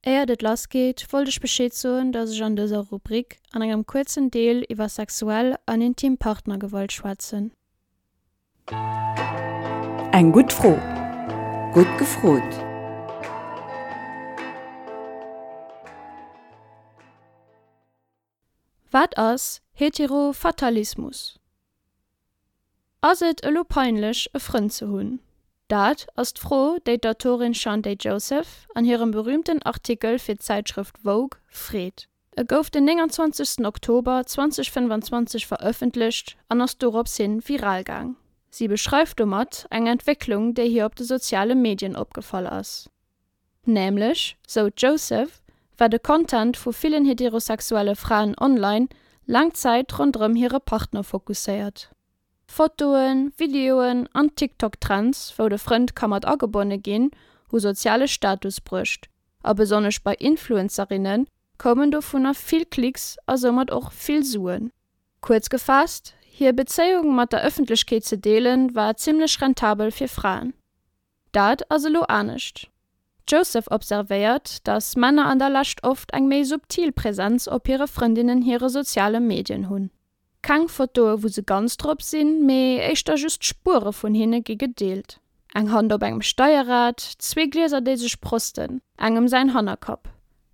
Éiert et lass geet, wollt ech Bescheed soen, dass ech an dëser Rubrik an engem kuerzen Deel iwwer sexuell an intim Partnergewalt schwätzen. Eng gutt Fro. Gutt gefrot. Wat ass Heterofatalismus? Ass et elo peinlech, e Frënd ze hunn? Dat ass d'Fro, déi d'Autorin Shantay Joseph an hirem berüümten Artikel fir d'Zäitschrëft Vogue freet. E gouf den 29 Oktober 2025 verëffentlecht an ass dorops hin viral gaang. Si beschreift domat eng Entwécklung, déi hir op de soziale Medien opgefall ass. Nämlech, sou d'Joseph, war de Content vu villen heterosexuelle Fraen online laang Zäit ronderëm hire Partner fokusséiert. Fotoen, Videoen an TikTok-Trends, wou de Frënd ka mat agebonne ginn, hu soziale Status bruecht. A besonnesch bei Influencerinne koumen dovunner vill Klicks a soumat och vill Suen. Kuerz gefaasst, hir Bezéiung mat der Ëffentlechkeet ze deelen, war zimmlech rentabel fir Fraen. Dat ass elo anescht. D'Joseph observéiert, datt Männer an der Lescht oft eng méi subtil Präsenz op hire Frëndinnen hire soziale Medien hunn. Keng Fotoe wou se ganz drop sinn, mee éischter just Spuere vun hinne gi gedeelt. Eng Hand op engem Steierrad, zwee Glieser déi sech prosten, engem säin Hannerkapp,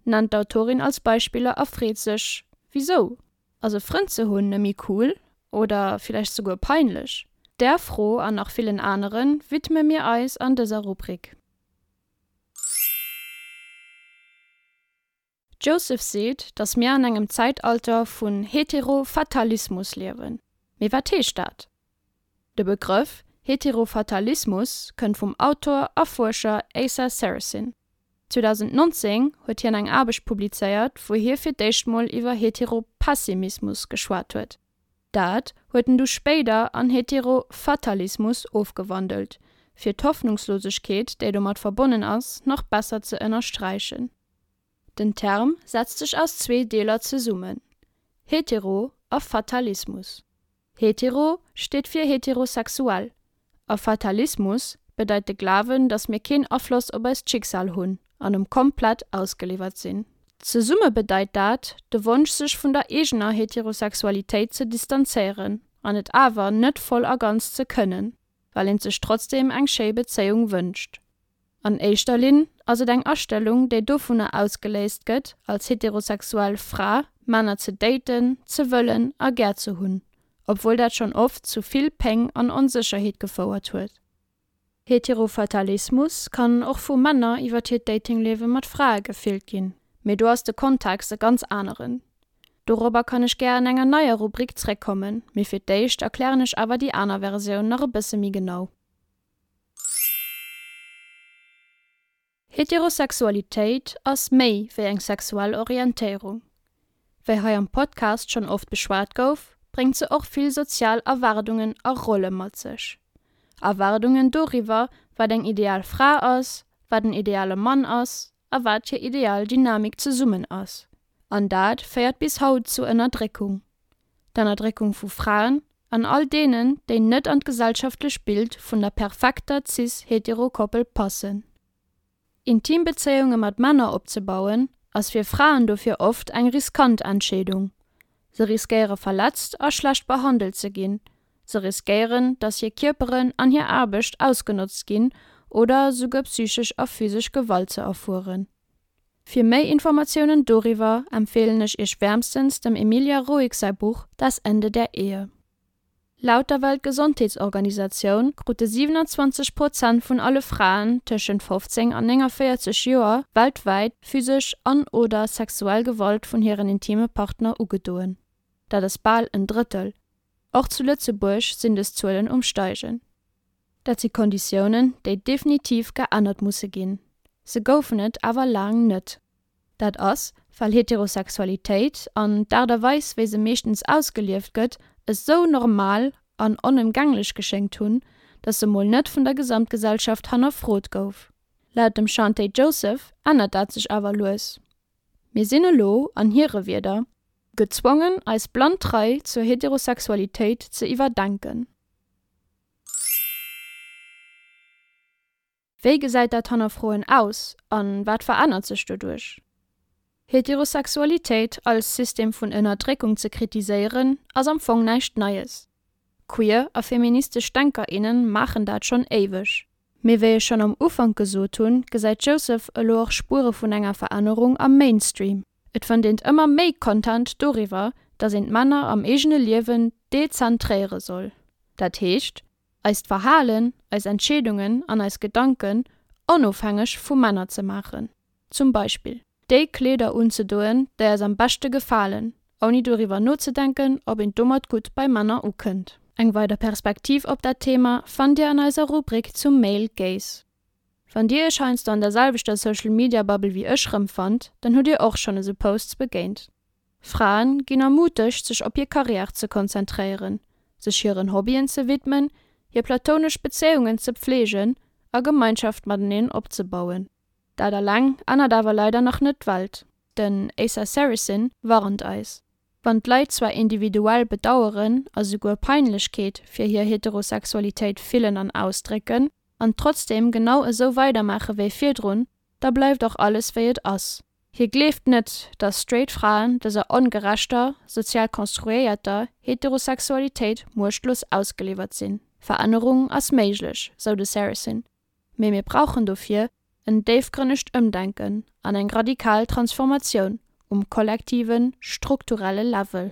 nennt d'Autorin als Beispiller a freet sech, Wisou? Ass e Frënd ze hunn nëmme cool oder villäicht souguer peinlech? Där Fro an nach villen anere widme mir eis an dëser Rubrik. D'Joseph seet, datt mir an engem Zäitalter vun Heterofatalismus liewen. Mee wat heescht dat? De Begrëff Heterofatalismus kënnt vum Autor a Fuerscher Asa Seresin. 2019 huet hien eng Aarbecht publizéiert, wou hie fir d'éischt mol iwwer Heteropessimismus geschwat huet. Dat huet en du spéider an Heterofatalismus ofgewandelt, fir d'Hoffnungslosegkeet, déi domat verbonnen ass, nach besser ze ënnersträichen. Den Term setzt sech aus zwee Deeler zesummen, Hetero a Fatalismus. Hetero steet fir heterosexuell a Fatalismus bedeit de Glawen, datt mir keen Afloss op eist Schicksal hunn an em komplett ausgeliwwert sinn. Zesumme bedeit dat, de Wonsch sech vun der eegener Heterosexualitéit ze distanzéieren an et awer net voll a ganz ze kënnen, well een sech trotzdeem eng schéi Bezéiung wënscht. An éischter Linn ass et eng Astellung, déi dovunner ausgeléist gëtt, als heterosexuell Fra Männer ze daten, ze wëllen a gär ze hunn, obwuel dat schonn oft zu vill Péng an Onsécherheet gefouert huet. Heterofatalismus kann och vu Männer iwwer hiert Datingliewe mat Frae gefillt ginn, mee do ass de Kontext e ganz aneren. Dorobber kann ech gär an enger neier Rubrik zréckkommen, mee fir d'éischt erklären ech awer déi aner Versioun nach e bësse méi genau. Heterosexualitéit ass méi wéi eng sexuell Orientéierung. Wéi hei am Podcast schonn oft beschwat gouf, bréngt se och vill sozial Erwaardungen a Rolle mat sech. Erwaardungen doriwwer, wat eng ideal Fra ass, wat en ideale Mann ass a wat hir ideal Dynamik zesummen ass. An dat féiert bis haut zu Ënnerdréckung. D'Ennerdréckung vu Fraen an all deenen, déi net an d'gesellschaftlech Bild vun der perfekter cis-hetero Koppel passen. Intim Bezéiunge mat Männer opzebauen, ass fir Fraen dofir oft eng riskant Entscheedung. Se riskéiere verletzt a schlecht behandelt ze ginn, se riskéieren, datt hir Kierperen an hir Aarbecht ausgenotzt ginn oder souguer psychesch a physesch Gewalt ze erfueren. Fir méi Informatiounen doriwwer empfeelen ech iech wäermstens dem Emilia Roig säi Buch Das Ende der Ehe. Laut der Weltgesondheetsorganisatioun krute 27 Prozent vun alle Fraen tëschent 15 an 49 Joer weltwäit physesch an oder sexuell Gewalt vun hiren intime Partner ugedoen. Dat ass bal en Drëttel. Och zu Lëtzebuerg sinn dës Zuelen um Steigen. Dat si Konditiounen, déi definitiv geännert musse ginn. Se goufen et awer laang net. Dat ass, well Heterosexualitéit an d'Aart a Weis, wéi se meeschtens ausgelieft gëtt, esou normal an onëmgänglech geschéngt hunn, datt se mol net vun der Gesamtgesellschaft hannerfrot gouf. Laut dem Shantay Joseph ännert dat sech awer lues. Mir sinn elo, an hire Wierder, gezwongen, eis blann Trei zur Heterosexualitéit ze iwwerdenken. Wéi gesäit dat Hannerfroen aus an wat verännert sech doduerch? Heterosexualitéit als System vun Ënnerdréckung ze kritiséieren, ass am Fong näischt Neies. Queer a feministesch Denker, innen maachen dat schonn éiweg. Mee wéi ech schonn am Ufank gesot hunn, gesäit d'Joseph elo och Spuere vun enger Verännerung am Mainstream. Et fënnt eent ëmmer méi Content doriwwer, dass een d'Männer am eegene Liewen dezentréiere soll. Dat heescht, eist Verhalen, eis Entscheedungen an eis Gedanken onofhängeg vu Männer ze maachen. Zum Beispill déi Kleeder unzedoen, déi eis am beschte gefalen, ouni doriwwer nozedenken, ob een domat gutt bei Männer ukënnt. Eng weider Perspektiv op dat Thema fannt Dir an eiser Rubrik zum Male Gaze. Wann Dir Iech heiansdo an der selwechter Social Media Bubble wéi ech rëmfannt, dann hutt Dir och schonn esou Posts begéint. Fraen ginn ermutegt sech op hir Karriär ze konzentréieren, sech hiren Hobbyen ze widmen, hir platonesch Bezéiungen ze pfleegen a Gemeinschaft mateneen opzebauen. Dat alleng ännert awer leider nach net d'Welt. Den Asa Seresin warnt eis, Wann d'Leit zwar individuell Bedaueren a souguer Peinlechkeet fir hir Heterosexualitéit fillen an ausdrécken, an trotzdeem genau esou weidermaache wéi virdrun, da bleift och alles wéi et ass. Hie gleeft net, datt straight Fraen dëser ongerechter, sozial konstruéierter Heterosexualitéit muechtlos ausgeliwwert sinn. Verännerung ass méiglech, sou de Seresin. Mee mir brauchen dofir en déifgrënnegt Ëmdenken an eng radikal Transformatioun um kollektiven, strukturelle Level.